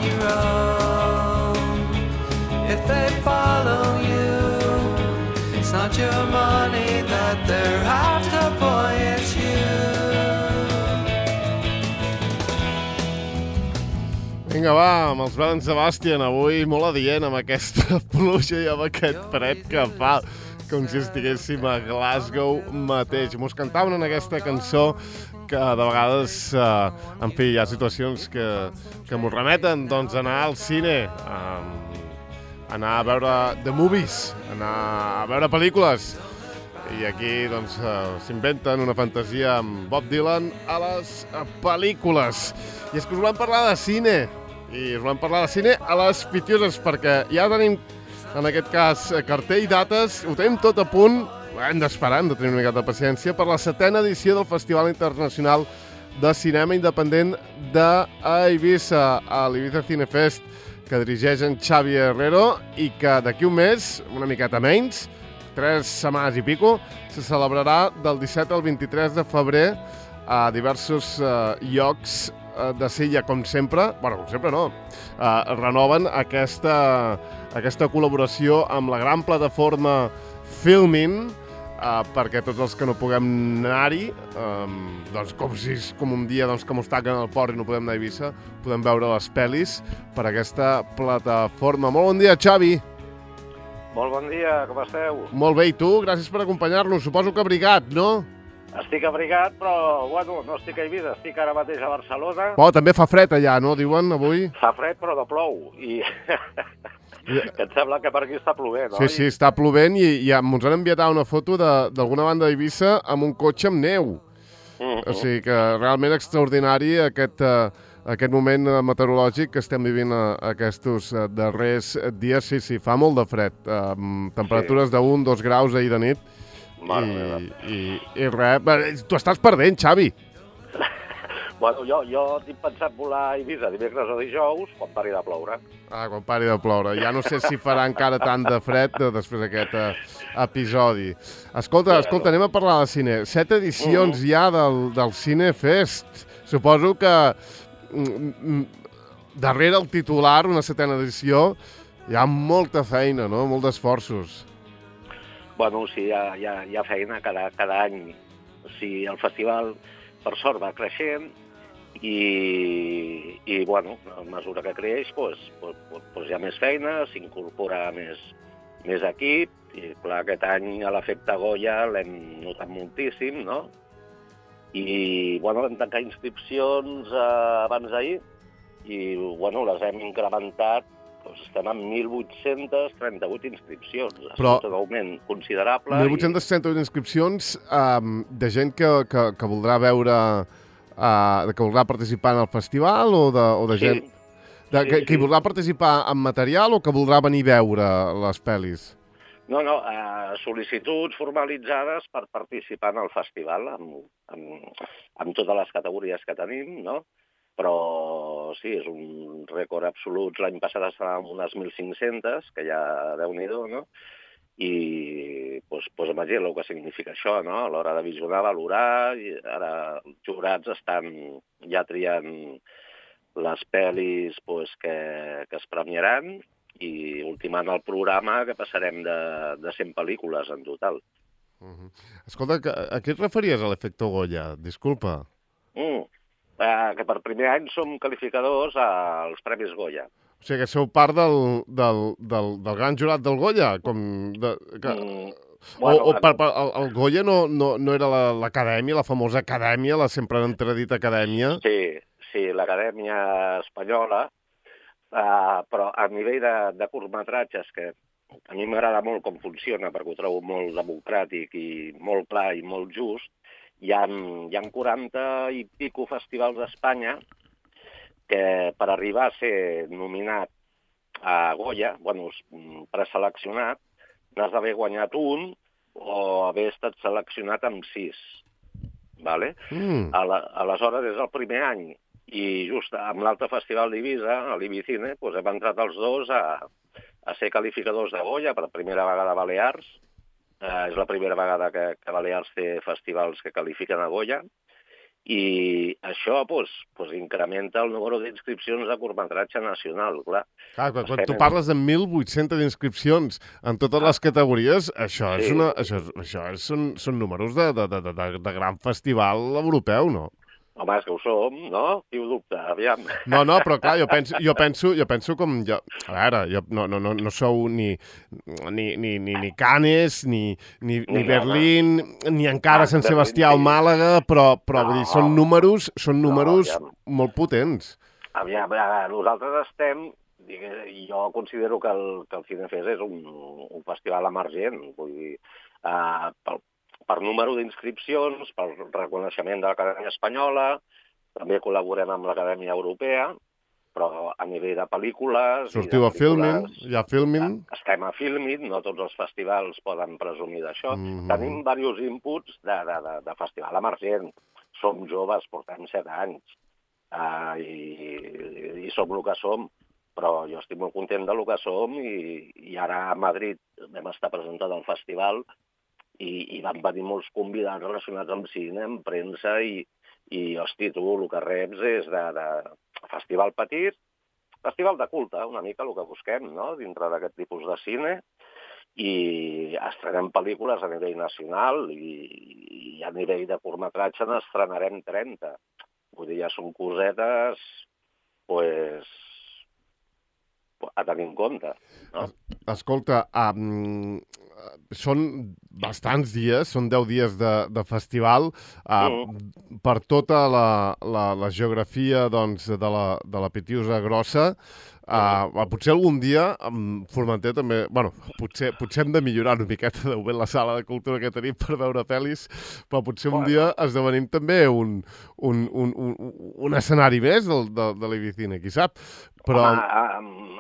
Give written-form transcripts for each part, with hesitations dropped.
your own. If they follow you, it's not your money that they're after, boy, it's you. Vinga, va, amb els Bell Sebastian, avui molt adient amb aquesta pluja i amb aquest fred que fa, com si estiguéssim a Glasgow mateix. Mos cantaven en aquesta cançó que de vegades, en fi, hi ha situacions que mos remeten doncs, a anar al cine, anar a veure the movies, anar a veure pel·lícules. I aquí doncs, s'inventen una fantasia amb Bob Dylan a les pel·lícules. I és que us volem parlar de cine. I us volem parlar de cine a les Pitioses, perquè ja tenim, en aquest cas, cartell i dates, ho tenim tot a punt, hem d'esperar, hem de tenir una mica de paciència, per la 7ª edició del Festival Internacional de Cinema Independent d'Eivissa, a l'Ibiza Cinefest, que dirigeix en Xavi Herrero i que d'aquí un mes, una miqueta menys, 3 setmanes i pico, se celebrarà del 17 al 23 de febrer a diversos llocs de Silla, com sempre. Bueno, com sempre no. Renoven aquesta col·laboració amb la gran plataforma Filmin, perquè tots els que no puguem anar-hi, doncs com un dia doncs, que mos taquen al port i no podem anar a Eivissa, podem veure les pel·lis per aquesta plataforma. Molt bon dia, Xavi! Molt bon dia, com esteu? Molt bé, i tu? Gràcies per acompanyar-nos. Suposo que abrigat, no? Estic abrigat, però, bueno, no estic a Eivissa, estic ara mateix a Barcelona. Oh, també fa fred allà, no? Diuen, avui? Fa fred, però no plou. I que em sembla que per aquí està plovent, oi? Sí, està plovent i ens han enviat una foto d'alguna banda d'Eivissa amb un cotxe amb neu. O sigui que realment extraordinari aquest moment meteorològic que estem vivint aquests darrers dies. Sí, fa molt de fred. Temperatures de 1-2 graus ahir de nit. I res. Tu estàs perdent, Xavi. Bueno, jo tinc pensat volar a Eivissa dimecres o dijous quan pari de ploure. Quan pari de ploure. Ja no sé si farà encara tant de fred després d'aquest episodi. Escolta, anem a parlar de cine. 7 edicions ja del Cinefest. Suposo que darrere el titular, una 7ª edició, hi ha molta feina, no? Molt d'esforços. Bueno, sí, hi ha feina cada any. O sigui, el festival, per sort, va creixent i bueno, a mesura que creix, hi ha més feina, s'incorpora més equip, i clar, aquest any a l'efecte Goya l'hem notat moltíssim, no? I, bueno, vam tancar inscripcions abans d'ahir i, bueno, les hem incrementat. Estem amb 1.838 inscripcions. Però és un augment considerable. 1.838 inscripcions de gent que voldrà veure, que voldrà participar en el festival o de gent que voldrà participar en material o que voldrà venir a veure les pel·lis? No, sol·licituds formalitzades per participar en el festival amb totes les categories que tenim, no? Però sí, és un rècord absolut. L'any passat estàvem amb unes 1.500, que ja Déu-n'hi-do, no? I imagina el que significa això, no? A l'hora de visionar, valorar, i ara els jurats estan ja triant les pel·lis que es premiaran i ultimant el programa, que passarem de 100 pel·lícules en total. Escolta, a què et referies a l'efecte Goya? Disculpa. Que per primer any som qualificadors als Premis Goya. O sigui que sou part del gran jurat del Goya? El Goya no era l'acadèmia, la famosa acadèmia, la sempre entredita acadèmia? Sí, l'acadèmia espanyola, però a nivell de curtmetratges, que a mi m'agrada molt com funciona, perquè ho trobo molt democràtic i molt clar i molt just, hi ha 40 i pico festivals d'Espanya que per arribar a ser nominat a Goya, preseleccionat, n'has d'haver guanyat un o haver estat seleccionat amb 6. Vale? Aleshores és el primer any i just amb l'altre festival d'Eivissa, a l'Ibicine, hem entrat els dos a ser qualificadors de Goya per primera vegada a Balears. És la primera vegada que Balears té festivals que qualifiquen a Goya i això incrementa el número d'inscripcions de curtmetratge nacional, clar. Clar, quan tu parles de 1.800 inscripcions en totes les categories, això són números de gran festival europeu, no? Home, és que ho som, no? Qui ho dubta? Aviam. No, però clar, jo penso com... A veure, no sou ni Cannes, ni Berlín, ni encara Sant Sebastià al Màlaga, però vull dir, són números molt potents. Aviam, nosaltres estem... Jo considero que el Cinefest és un festival emergent, vull dir, per número d'inscripcions, per reconeixement de l'Acadèmia Espanyola, també col·laborem amb l'Acadèmia Europea, però a nivell de pel·lícules... Sortiu a Filmin, ja Filmin. Estem a Filmin, no tots els festivals poden presumir d'això. Tenim diversos inputs de festival emergent. Som joves, portem 7 anys, i som el que som, però jo estic molt content del que som, i ara a Madrid vam estar presentant al festival, i van venir molts convidats relacionats amb cine, amb premsa, i hosti, tu el que reps és de festival petit, festival de culte, una mica el que busquem, no?, dintre d'aquest tipus de cine, i estrenem pel·lícules a nivell nacional, i a nivell de curtmetratge n'estrenarem 30. Vull dir, ja són cosetes, a tenir en compte, no? Escolta, són bastants dies, són 10 dies de festival, per tota la geografia doncs, de la Pitiusa Grossa. Potser algun dia, Formentera també... Bueno, potser hem de millorar una miqueta de la sala de cultura que tenim per veure pel·lis, però potser un dia esdevenim també un escenari més de l'Ibicine, qui sap? Però...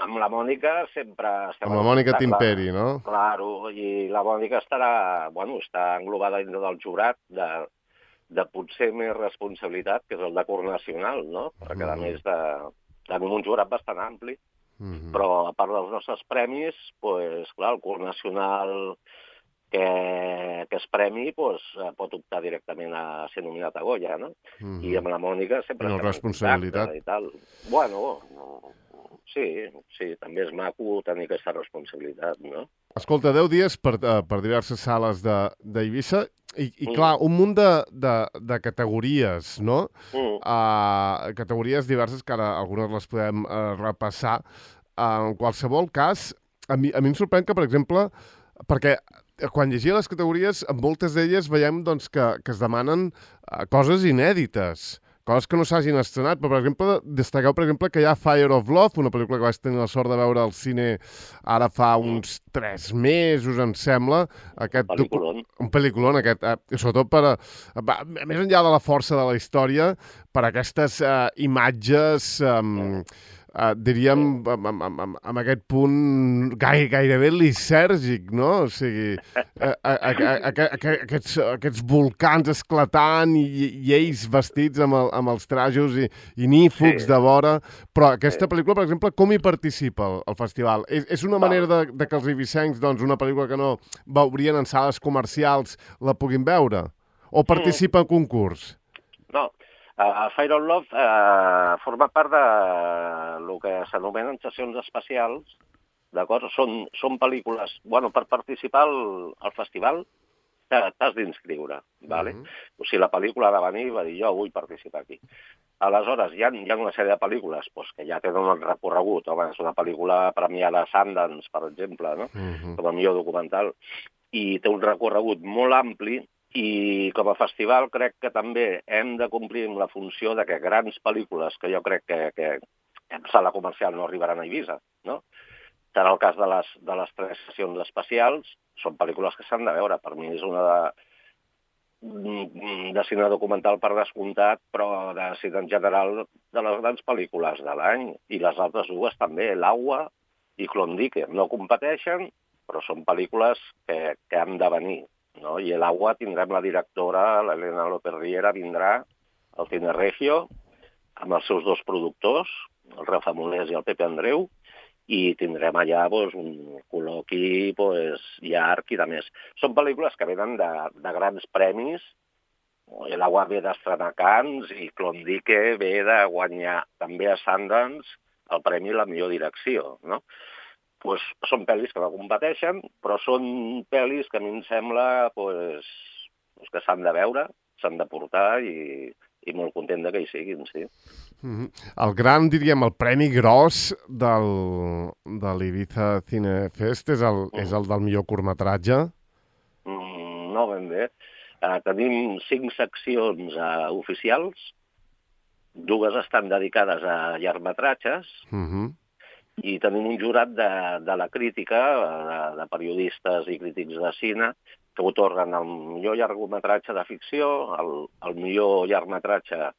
Amb la Mònica sempre... Amb la Mònica Timperi, no? Claro, i la Mònica està englobada dintre del jurat de potser més responsabilitat, que és el de curt nacional, no? Perquè a més tenim un jurat bastant ampli, però a part dels nostres premis, clar, el curt nacional que es premi pot optar directament a ser nominat a Goya, no? I amb la Mònica sempre... No, responsabilitat. I tal. Bueno, sí, també és maco tenir aquesta responsabilitat, no? Escolta, 10 dies per diverses sales d'Eivissa i clar, un munt de categories, no? Categories diverses que ara algunes les podem repassar. En qualsevol cas, a mi em sorprèn que, per exemple, perquè quan llegia les categories, en moltes d'elles veiem doncs, que es demanen coses inèdites, coses que no s'hagin estrenat, però, per exemple, destaqueu, per exemple, que hi ha Fire of Love, una pel·lícula que vaig tenir la sort de veure al cine ara fa uns 3 mesos, em sembla. Un pel·lículon, aquest. Sobretot més enllà de la força de la història, per aquestes imatges... diríem, amb aquest punt gairebé lisèrgic, no? O sigui, aquests volcans esclatant i ells vestits amb els trajos i nífugs de vora. Però aquesta pel·lícula, per exemple, com hi participa el festival? És una manera de que els eivissencs, doncs, una pel·lícula que no veurien en sales comercials, la puguin veure? O participa en concurs? No. Fire of Love forma part de el que s'anomenen sessions especials, d'acord? Són pel·lícules... Bueno, per participar al festival t'has d'inscriure, ¿vale? O sigui, la pel·lícula ha de venir i va dir, jo vull participar aquí. Aleshores, hi ha una sèrie de pel·lícules que ja tenen un recorregut. Home, és una pel·lícula premiada a Sundance, per exemple, no? Com a millor documental. I té un recorregut molt ampli. I com a festival crec que també hem de complir amb la funció de que grans pel·lícules, que jo crec que en sala comercial no arribaran a Eivissa, no? Serà el cas de les 3 sessions especials, són pel·lícules que s'han de veure. Per mi és una de cine documental per descomptat, però de cine en general de les grans pel·lícules de l'any. I les altres dues també, L'Aigua i Klondike. No competeixen, però són pel·lícules que han de venir. No? I L'Aigua tindrem la directora, l'Helena López Riera, vindrà al Cine Regio amb els seus 2 productors, el Rafa Molés i el Pepe Andreu, i tindrem allà un col·loqui llarg i de més. Són pel·lícules que venen de grans premis la UA ve d'estrenar Cannes i Klondike ve de guanyar també a Sundance el premi a la millor direcció, no? Pues són pel·lis que no competeixen, però són pel·lis que a mi em sembla que s'han de veure, s'han de portar i molt content que hi siguin, sí. El gran, diríem, el premi gros de l'Ibiza Cine Fest és el del millor curtmetratge? No ben bé. Tenim 5 seccions oficials, 2 estan dedicades a llargmetratges, i tenim un jurat de la crítica, de periodistes i crítics de cine, que otorguen el millor llargmetratge de ficció, el millor llargmetratge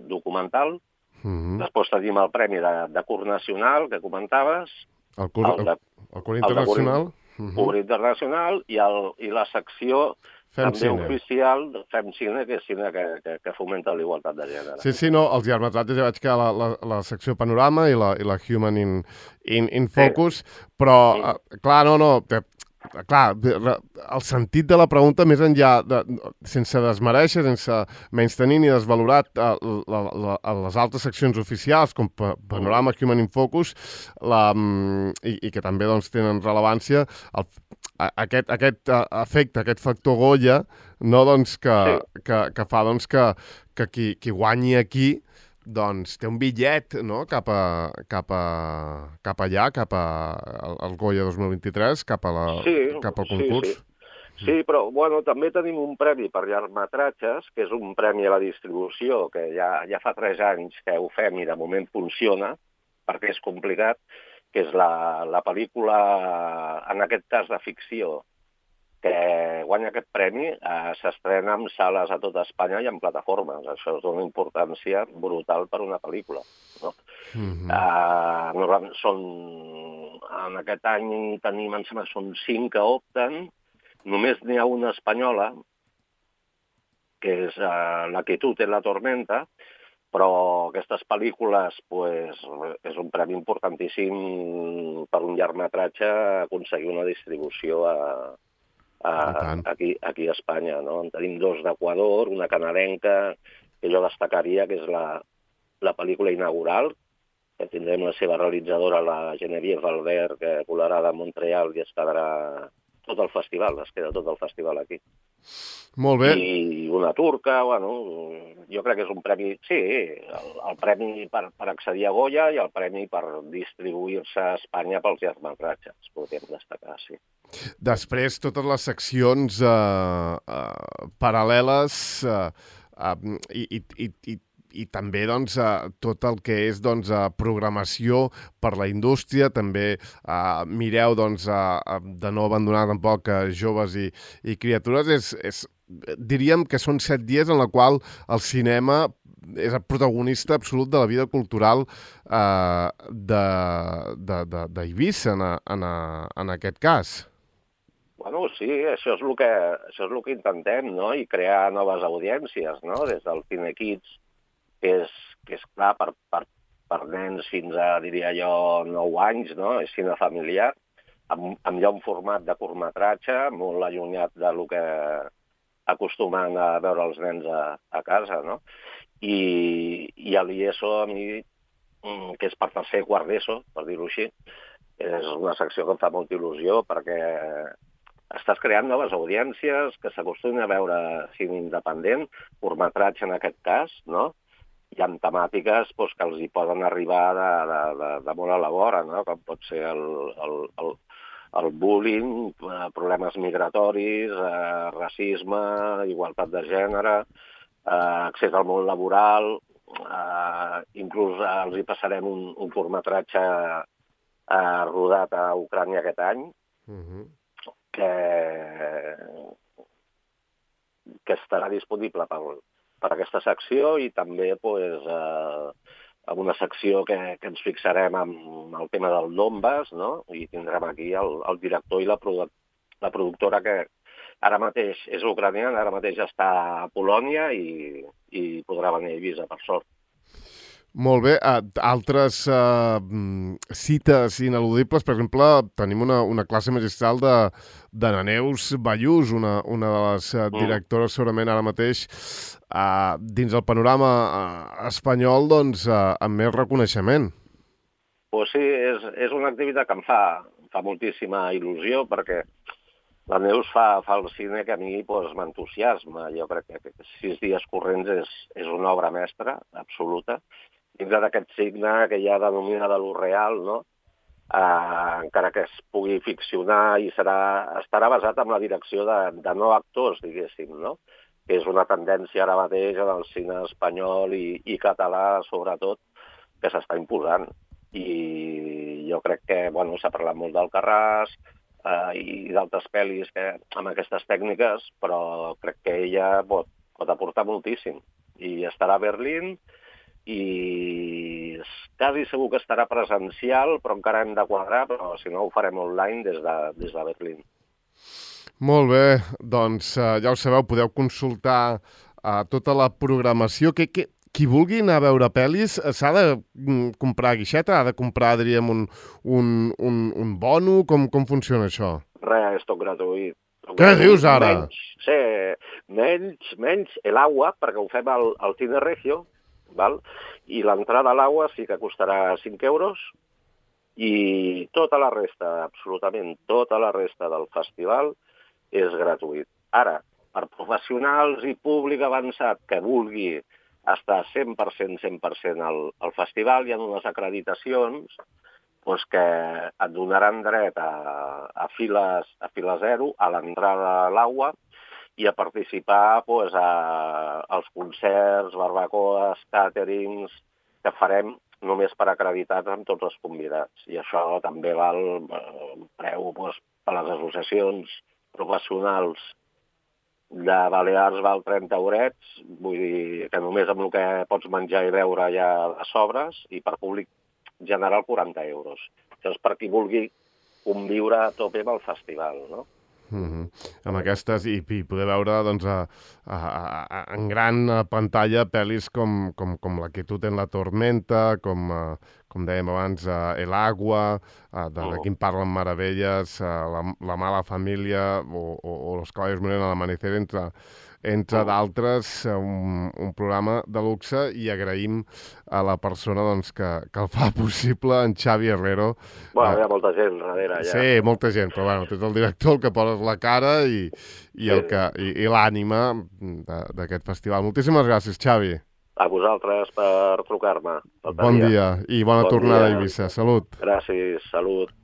documental. Després tenim el premi de curt nacional, que comentaves. El curt internacional. Curt internacional i la secció també oficial de Fem Cine, que és cine que fomenta l'igualtat de gènere. Sí, no, els llargmetratges ja vaig que la secció Panorama i la Human in Focus, però, clar, clar, el sentit de la pregunta, més enllà, sense desmereixer, sense menystenir ni desvalorar les altres seccions oficials, com Panorama, Human in Focus, i que també tenen rellevància, aquest efecte, aquest factor Goya, no, que fa que qui guanyi aquí té un bitllet, no?, cap allà, cap al Goya 2023, cap al concurs. Sí, però també tenim un premi per llargmetratges, que és un premi a la distribució, que ja fa 3 anys que ho fem i de moment funciona, perquè és complicat, que és la pel·lícula, en aquest cas de ficció, que guanya aquest premi, s'estrena en sales a tota Espanya i en plataformes. Això és d'una importància brutal per una pel·lícula, no? En aquest any tenim, em sembla, són 5 que opten, només n'hi ha una espanyola, que és La quietud en la tormenta, però aquestes pel·lícules és un premi importantíssim per un llargmetratge aconseguir una distribució aquí a Espanya, no? En tenim 2 d'Equador, una canadenca, que jo destacaria, que és la pel·lícula inaugural, que tindrem la seva realitzadora, la Geneviève Albert, que volarà de Montreal i es quedarà tot el festival, es queda tot el festival aquí. Molt bé. I una turca, jo crec que és un premi, sí, el premi per accedir a Goya i el premi per distribuir-se a Espanya pels llargmetratges, podríem destacar, sí. Després, totes les seccions paral·leles i també tot el que és programació per la indústria, també mireu de no abandonar tampoc joves i criatures. Diríem que són 7 dies en la qual el cinema és el protagonista absolut de la vida cultural d'Eivissa, en aquest cas. Sí, això és el que intentem, no? I crear noves audiències, no? Des del Cinekids, que és clar, per nens fins a, diria jo, 9 anys, no? És cine familiar, amb ja un format de curtmetratge molt allunyat del que acostumen a veure els nens a casa, no? I a l'IESO, a mi, que és per tercer i quart d'ESO, per dir-ho així, és una secció que em fa molta il·lusió perquè estàs creant noves audiències que s'acostumen a veure cine independent, curtmetratge en aquest cas, no? Hi ha temàtiques que els hi poden arribar de molt a la vora, no? Com pot ser el bullying, problemes migratoris, racisme, igualtat de gènere, accés al món laboral, inclús els hi passarem un curtmetratge rodat a Ucrània aquest any, que estarà disponible per aquesta secció i també amb una secció que ens fixarem amb el tema del Donbass, no? I tindrem aquí el director i la productora que ara mateix és ucraniana, ara mateix està a Polònia i podrà venir a Eivissa, per sort. Molt bé. Altres cites ineludibles, per exemple, tenim una classe magistral de na Neus Ballús, una de les directores segurament ara mateix dins el panorama espanyol doncs, amb més reconeixement. Pues sí, és una activitat que em fa moltíssima il·lusió, perquè la Neus fa el cine que a mi pues, m'entusiasma. Jo crec que 6 dies corrents és una obra mestra absoluta, dintre d'aquest signe que ja denomina de lo real, no? Encara que es pugui ficcionar i estarà basat en la direcció de no actors, diguéssim, no? Que és una tendència ara mateix en el cine espanyol i català, sobretot, que s'està imposant. I jo crec que s'ha parlat molt d'Alcarràs i d'altres pel·lis amb aquestes tècniques, però crec que ella pot aportar moltíssim. I estarà a Berlín i quasi segur que estarà presencial, però encara hem de quadrar, però si no ho farem online des de Berlín. Molt bé, doncs ja ho sabeu, podeu consultar tota la programació. Qui vulgui anar a veure pel·lis s'ha de comprar guixeta? Ha de comprar, diríem, un bono? Com funciona això? Res, és tot gratuït. Què dius ara? Menys l'aigua, perquè ho fem al Cine Regio, val? I l'entrada a l'aigua sí que costarà 5 euros i tota la resta, absolutament tota la resta del festival és gratuït. Ara, per professionals i públic avançat que vulgui estar 100% al festival, hi ha unes acreditacions que et donaran dret a fila zero, a l'entrada a l'aigua, i a participar als concerts, barbacoes, càterings, que farem només per acreditats amb tots els convidats. I això també val un preu per les associacions professionals de Balears val 30 eurets, vull dir que només amb el que pots menjar i beure ja les sobres, i per públic general 40 euros. Això és per qui vulgui conviure a tope amb el festival, no? Amb aquestes, i poder veure doncs, en gran pantalla pel·lis com La quietud en la tormenta, com dèiem abans, El agua, de Quim parlen meravelles, La mala família o Los caballos mueren al amanecer, entre d'altres, un programa de luxe, i agraïm a la persona doncs, que el fa possible, en Xavi Herrero. Hi ha molta gent darrere, ja. Sí, molta gent, però tu ets el director, el que poses la cara i l'ànima d'aquest festival. Moltíssimes gràcies, Xavi. A vosaltres per trucar-me. Bon dia i bona tornada a Eivissa. Salut. Gràcies, salut.